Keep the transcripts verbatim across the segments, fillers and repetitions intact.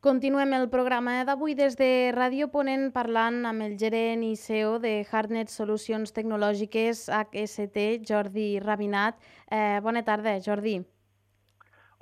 Continuem el programa d'avui des de Ràdio Ponent parlant amb el gerent i C E O de Hardnet Solucions Tecnològiques H S T, Jordi Rabinat. Eh, bona tarda, Jordi.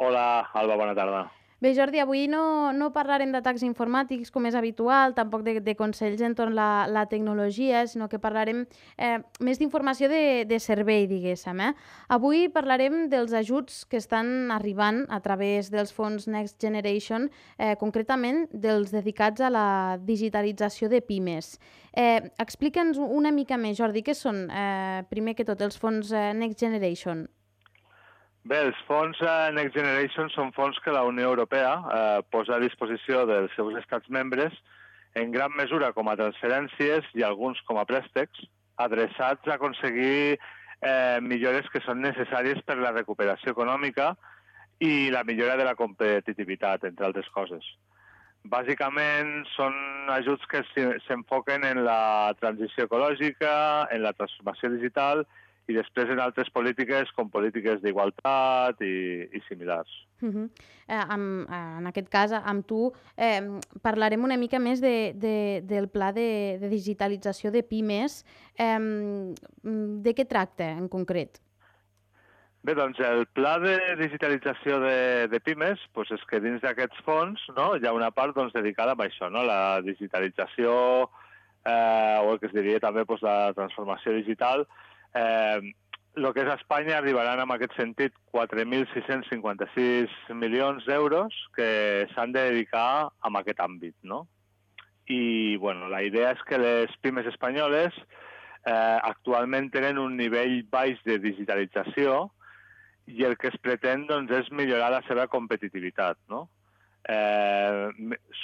Hola, Alba, bona tarda. Bé, Jordi, avui no, no parlarem d'atacs informàtics com és habitual, tampoc de, de consells entorn la, la tecnologia, sinó que parlarem eh, més d'informació de, de servei, diguéssim. Eh? Avui parlarem dels ajuts que estan arribant a través dels fons Next Generation, eh, concretament dels dedicats a la digitalització de pimes. Eh, Explica'ns una mica més, Jordi, què són, eh, primer que tot, els fons eh, Next Generation? Bé, els fons eh, Next Generation són fons que la Unió Europea eh, posa a disposició dels seus estats membres en gran mesura com a transferències i alguns com a préstecs, adreçats a aconseguir eh, millores que són necessàries per la recuperació econòmica i la millora de la competitivitat, entre altres coses. Bàsicament són ajuts que s'enfoquen en la transició ecològica, en la transformació digital i després en altres polítiques com polítiques d'igualtat i, i similars. Uh -huh. eh, amb, eh, en aquest cas, amb tu, eh, parlarem una mica més de, de, del pla de, de digitalització de pimes. Eh, de què tracta en concret? Bé, doncs el pla de digitalització de, de pimes doncs és que dins d'aquests fons, no, hi ha una part doncs, dedicada a això, no? La digitalització, eh, o el que es diria també doncs, la transformació digital. Eh, el que és a Espanya arribaran en aquest sentit quatre mil sis-cents cinquanta-sis milions d'euros que s'han de dedicar a aquest àmbit, no? I bueno, la idea és que les pimes espanyoles eh, actualment tenen un nivell baix de digitalització i el que es pretén doncs, és millorar la seva competitivitat, no? Eh,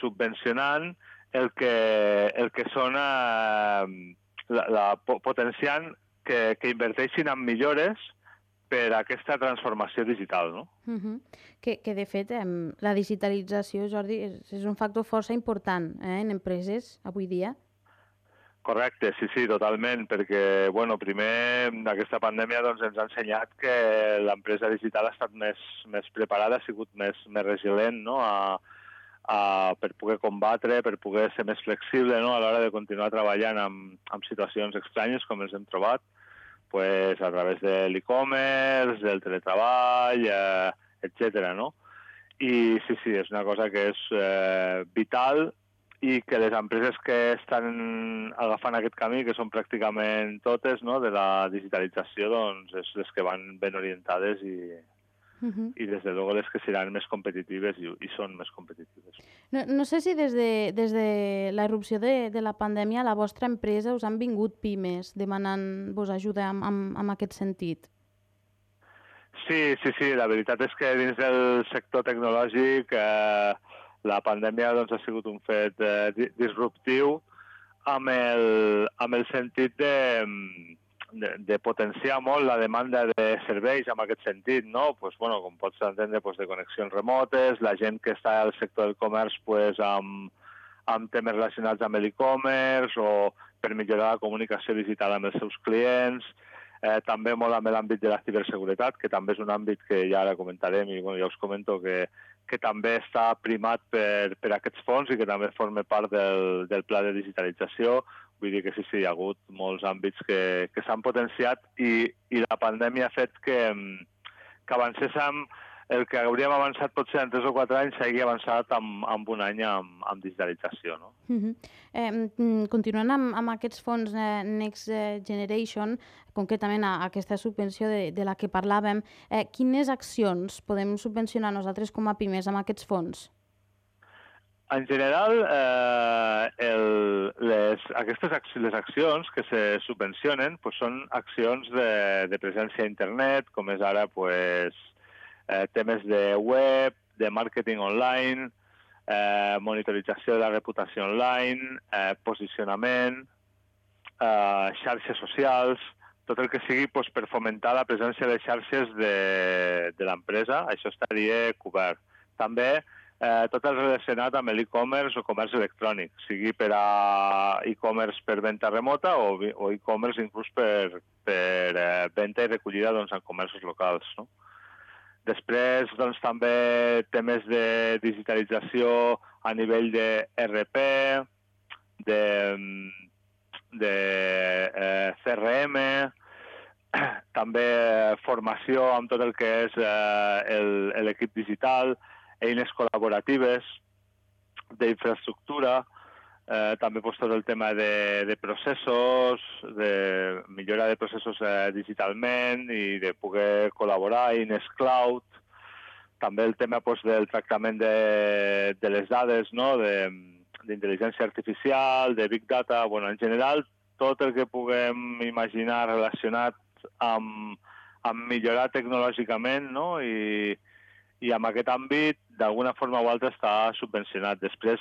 subvencionant el que, el que són eh, la, la, potenciant que, que inverteixin en millores per a aquesta transformació digital, no? Uh -huh. que, que, de fet, eh, la digitalització, Jordi, és, és un factor força important eh, en empreses avui dia. Correcte, sí, sí, totalment, perquè, bueno, primer, aquesta pandèmia doncs, ens ha ensenyat que l'empresa digital ha estat més, més preparada, ha sigut més, més resilient, no?, a, a, per poder combatre, per poder ser més flexible, no?, a l'hora de continuar treballant amb, amb situacions estranyes com ens hem trobat, pues, a través de l'e-commerce, del teletreball, eh, etcètera, no? I sí, sí, és una cosa que és eh, vital i que les empreses que estan agafant aquest camí, que són pràcticament totes, no?, de la digitalització, doncs és les que van ben orientades i, uh -huh. i des de luego les que seran més competitives i, i són més competitives. No, no sé si des de, des de la irrupció de, de la pandèmia a la vostra empresa us han vingut pimes demanant-vos ajuda en, en, en aquest sentit. Sí, sí, sí, la veritat és que dins del sector tecnològic eh, la pandèmia doncs, ha sigut un fet eh, disruptiu amb el, amb el sentit de, de, de potenciar molt la demanda de serveis en aquest sentit, no? Pues, bueno, com pots entendre, pues, de connexions remotes, la gent que està al sector del comerç pues, amb, amb temes relacionats amb l'e-commerce o per millorar la comunicació digital amb els seus clients, eh, també molt amb l'àmbit de la ciberseguretat, que també és un àmbit que ja ara comentarem i bueno, ja us comento que que també està primat per, per aquests fons i que també forma part del, del pla de digitalització. Vull dir que sí, sí, hi ha hagut molts àmbits que, que s'han potenciat i, i la pandèmia ha fet que, que avancéssim el que hauríem avançat potser en tres o quatre anys s'hagi avançat en, en un any amb, amb digitalització, no? Uh -huh. eh, continuant amb, amb aquests fons eh, Next Generation, concretament a, a aquesta subvenció de, de la que parlàvem, eh, quines accions podem subvencionar nosaltres com a pimes amb aquests fons? En general, eh, el, les, aquestes accions, les accions que se subvencionen pues, són accions de, de presència a internet, com és ara pues, eh, temes de web, de màrqueting online, eh, monitorització de la reputació online, eh, posicionament, eh, xarxes socials, tot el que sigui pues, per fomentar la presència de xarxes de, de l'empresa, això estaria cobert. També eh, tot el relacionat amb l'e-commerce o comerç electrònic, sigui per a e-commerce per venda remota o, o e-commerce inclús per, per eh, venda i recollida doncs, en comerços locals, no? Després, doncs, també temes de digitalització a nivell de R P, de, de eh, C R M, també formació amb tot el que és eh, l'equip digital, eines col·laboratives, d'infraestructura, eh, també pues, tot el tema de, de processos, de millora de processos eh, digitalment i de poder col·laborar, eines cloud, també el tema pues, del tractament de, de les dades, no? d'intel·ligència artificial, de big data, bueno, en general, tot el que puguem imaginar relacionat amb, amb millorar tecnològicament, no? I, i en aquest àmbit, d'alguna forma o altra, està subvencionat. Després,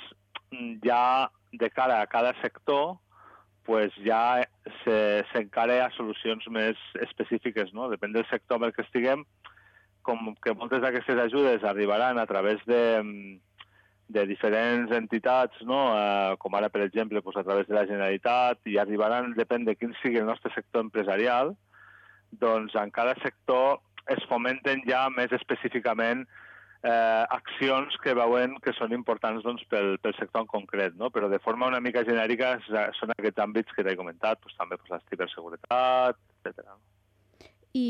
ja de cara a cada sector, pues ja s'encara a solucions més específiques, no? Depèn del sector amb el que estiguem, com que moltes d'aquestes ajudes arribaran a través de, de diferents entitats, no? Eh, com ara, per exemple, pues, a través de la Generalitat, i arribaran, depèn de quin sigui el nostre sector empresarial, doncs en cada sector es fomenten ja més específicament eh, accions que veuen que són importants doncs, pel, pel sector en concret, no? Però de forma una mica genèrica són aquests àmbits que t'he comentat, doncs, també doncs, la ciberseguretat, etcètera. I,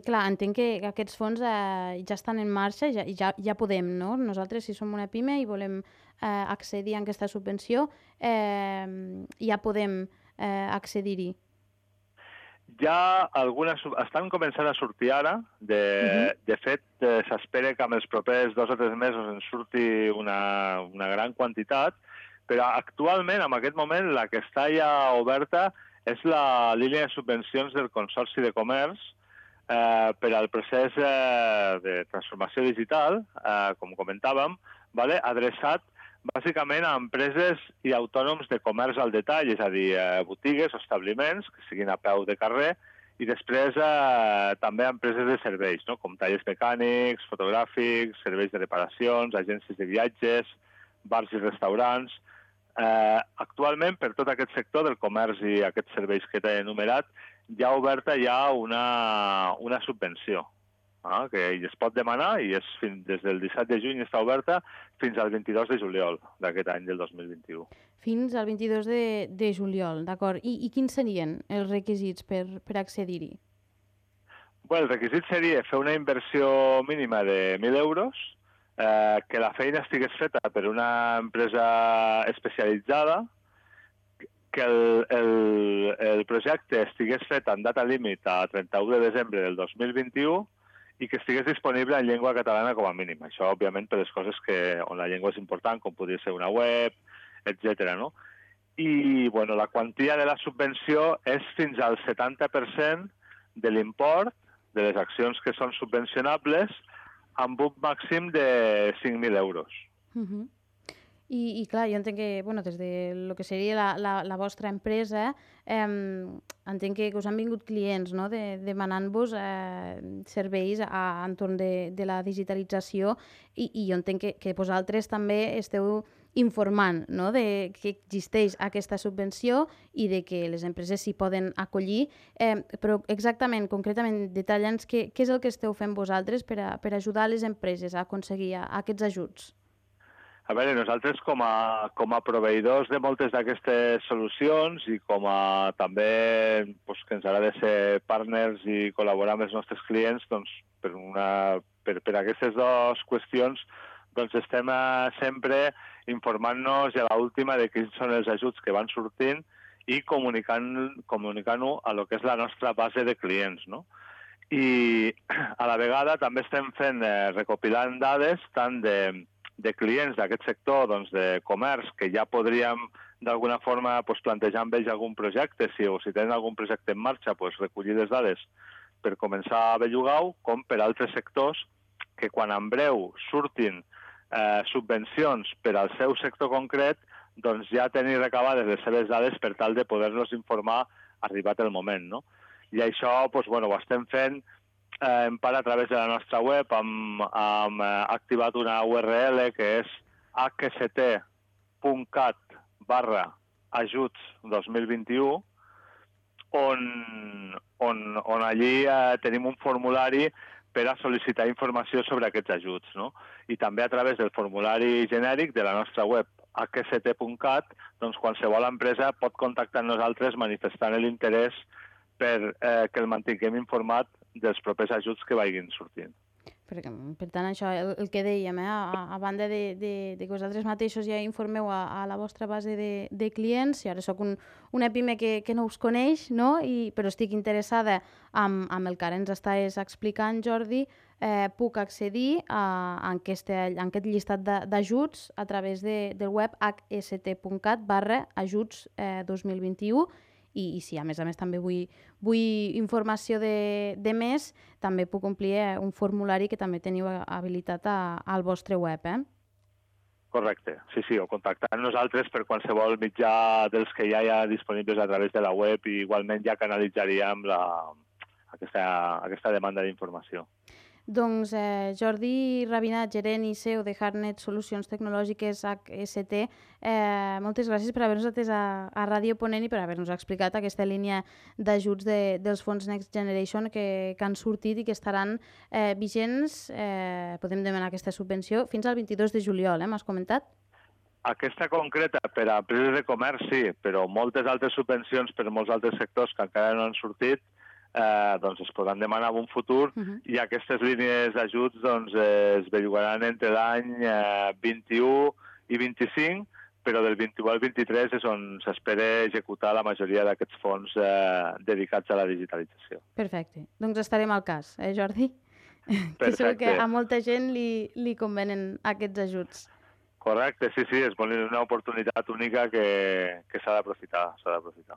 clar, entenc que aquests fons eh, ja estan en marxa i ja, ja, ja podem, no? Nosaltres, si som una pime i volem eh, accedir a aquesta subvenció, eh, ja podem eh, accedir-hi. Ja algunes estan començant a sortir ara. De, uh-huh. de fet, eh, s'espera que en els propers dos o tres mesos en surti una, una gran quantitat, però actualment, en aquest moment, la que està ja oberta és la línia de subvencions del Consorci de Comerç eh, per al procés eh, de transformació digital, eh, com comentàvem, vale? Adreçat bàsicament a empreses i autònoms de comerç al detall, és a dir, eh, botigues o establiments que siguin a peu de carrer, i després eh, també a empreses de serveis, no? Com tallers mecànics, fotogràfics, serveis de reparacions, agències de viatges, bars i restaurants. Eh, actualment, per tot aquest sector del comerç i aquests serveis que t'he enumerat, hi ha oberta ja una, una subvenció. Ah, que es pot demanar i és fins, des del disset de juny està oberta fins al vint-i-dos de juliol d'aquest any del dos mil vint-i-u. Fins al vint-i-dos de, de juliol, d'acord. I, I quins serien els requisits per, per accedir-hi? Bueno, el requisit seria fer una inversió mínima de mil euros, eh, que la feina estigués feta per una empresa especialitzada, que el, el, el projecte estigués fet en data límit a trenta-u de desembre del dos mil vint-i-u i que estigués disponible en llengua catalana com a mínim. Això, òbviament, per les coses que, on la llengua és important, com podria ser una web, etcètera. No? I bueno, la quantia de la subvenció és fins al setanta per cent de l'import de les accions que són subvencionables amb un màxim de cinc mil euros. Uh-huh. I, I clar, jo entenc que, bueno, des de lo que seria la, la, la vostra empresa, eh, entenc que us han vingut clients, no?, de, demanant-vos eh, serveis a, entorn de, de la digitalització i, i jo entenc que, que vosaltres també esteu informant, no?, de que existeix aquesta subvenció i de que les empreses s'hi poden acollir, eh, però exactament, concretament, detalla'ns què, què és el que esteu fent vosaltres per, a, per ajudar les empreses a aconseguir a, a aquests ajuts. A veure, nosaltres com a, com a proveïdors de moltes d'aquestes solucions i com a també pues, que ens agrada ser partners i col·laborar amb els nostres clients, doncs, per, una, per, per aquestes dues qüestions doncs, estem eh, sempre informant-nos a l'última de quins són els ajuts que van sortint i comunicant, comunicant-ho a lo que és la nostra base de clients, no? I a la vegada també estem fent, eh, recopilant dades tant de de clients d'aquest sector, doncs, de comerç, que ja podríem d'alguna forma pues, plantejar amb ells algun projecte, si, o si tenen algun projecte en marxa, pues, recollir les dades per començar a bellugar-ho, com per altres sectors que quan en breu surtin eh, subvencions per al seu sector concret, doncs ja tenir recabades les seves dades per tal de poder-los informar arribat el moment, no? I això pues, bueno, ho estem fent Eh, en part a través de la nostra web hem, hem activat una U R L que és hst.cat barra ajuts dos mil vint-i-u on, on, on allí eh, tenim un formulari per a sol·licitar informació sobre aquests ajuts, no? I també a través del formulari genèric de la nostra web h s t punt cat, doncs qualsevol empresa pot contactar amb nosaltres manifestant l'interès per eh, que el mantinguem informat dels propers ajuts que vagin sortint. Per, per tant, això, el, el que dèiem, eh? a, a banda de, de, de que vosaltres mateixos ja informeu a, a la vostra base de, de clients, i ara sóc un, una pime que, que no us coneix, no? I, però estic interessada amb, amb el que ara ens estàs explicant, Jordi, eh, puc accedir a, a, aquest, a aquest llistat d'ajuts a través de, del web h s t punt cat barra ajuts eh, dos mil vint-i-u. I, i si a més a més també vull, vull informació de, de més, també puc omplir eh, un formulari que també teniu habilitat a, al vostre web, eh? Correcte, sí, sí, o contactar amb nosaltres per qualsevol mitjà dels que ja hi ha disponibles a través de la web i igualment ja canalitzaríem la, aquesta, aquesta demanda d'informació. Doncs eh, Jordi Rabinat, gerent i C E O de Hardnet Solucions Tecnològiques H S T, eh, moltes gràcies per haver-nos atès a, a Ràdio Ponent i per haver-nos explicat aquesta línia d'ajuts de, dels fons Next Generation que, que han sortit i que estaran eh, vigents, eh, podem demanar aquesta subvenció, fins al vint-i-dos de juliol, eh, m'has comentat? Aquesta concreta per a empreses de comerç sí, però moltes altres subvencions per a molts altres sectors que encara no han sortit Eh, doncs es podran demanar en un futur uh -huh. i aquestes línies d'ajuts doncs, eh, es bellugaran entre l'any eh, vint-i-u i vint-i-cinc, però del vint-i-u al vint-i-tres és on s'espera executar la majoria d'aquests fons eh, dedicats a la digitalització. Perfecte. Doncs estarem al cas, eh, Jordi? Perfecte. Que segur que a molta gent li, li convenen aquests ajuts. Correcte, sí, sí, és una oportunitat única que, que s'ha d'aprofitar, s'ha d'aprofitar.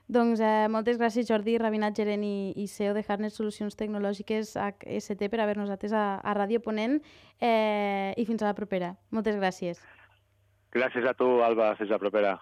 Doncs eh, moltes gràcies, Jordi Rabinat, gerent i, i C E O de Hardnet Solucions Tecnològiques H S T, per haver-nos atès a, a Ràdio Ponent eh, i fins a la propera. Moltes gràcies. Gràcies a tu, Alba. Fins a la propera.